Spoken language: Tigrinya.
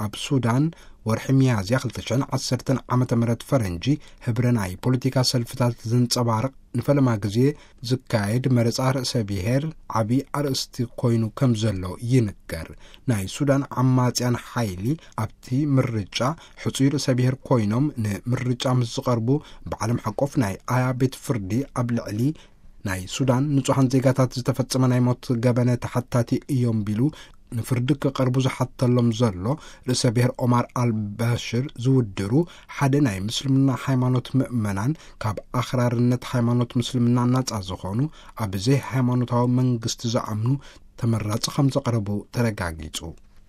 ኣብ ሱዳን፣ ወርሒ ሚያዝያ ክልተ ሽሕን ዓሰርተን ዓመተ ምህረት ፈረንጂ፣ ህብረ ናይ ፖለቲካ ሰልፍታት ዘንጸባርቕ ንፈለማ ግዜ ዝካየድ መረጻ ርእሰ ብሔር ዓቢ ኣርእስቲ ኮይኑ ከም ዘሎ ይንገር። ናይ ሱዳን ዓማጽያን ሓይሊ ኣብቲ ምርጫ ሕጹይ ርእሰ ብሔር ኮይኖም ንምርጫ ምስ ዝቐርቡ፣ ብዓለም ሓቆፍ ናይ ኣያ ቤት ፍርዲ ኣብ ልዕሊ ናይ ሱዳን ንጹሓን ዜጋታት ዝተፈጸመ ናይ ሞት ገበነ ተሓታቲ እዮም ቢሉ ንፍርዲ ክቐርቡ ዝሓተሎም ዘሎ ርእሰ ብሔር ኦማር ኣልባሽር ዝውድሩ ሓደ ናይ ምስልምና ሃይማኖት ምእመናን፣ ካብ ኣኽራርነት ሃይማኖት ምስልምና ናጻ ዝኾኑ፣ ኣብ ዘይሃይማኖታዊ መንግስቲ ዝኣምኑ ተመራጺ ከም ዘቕረቡ ተረጋጊጹ።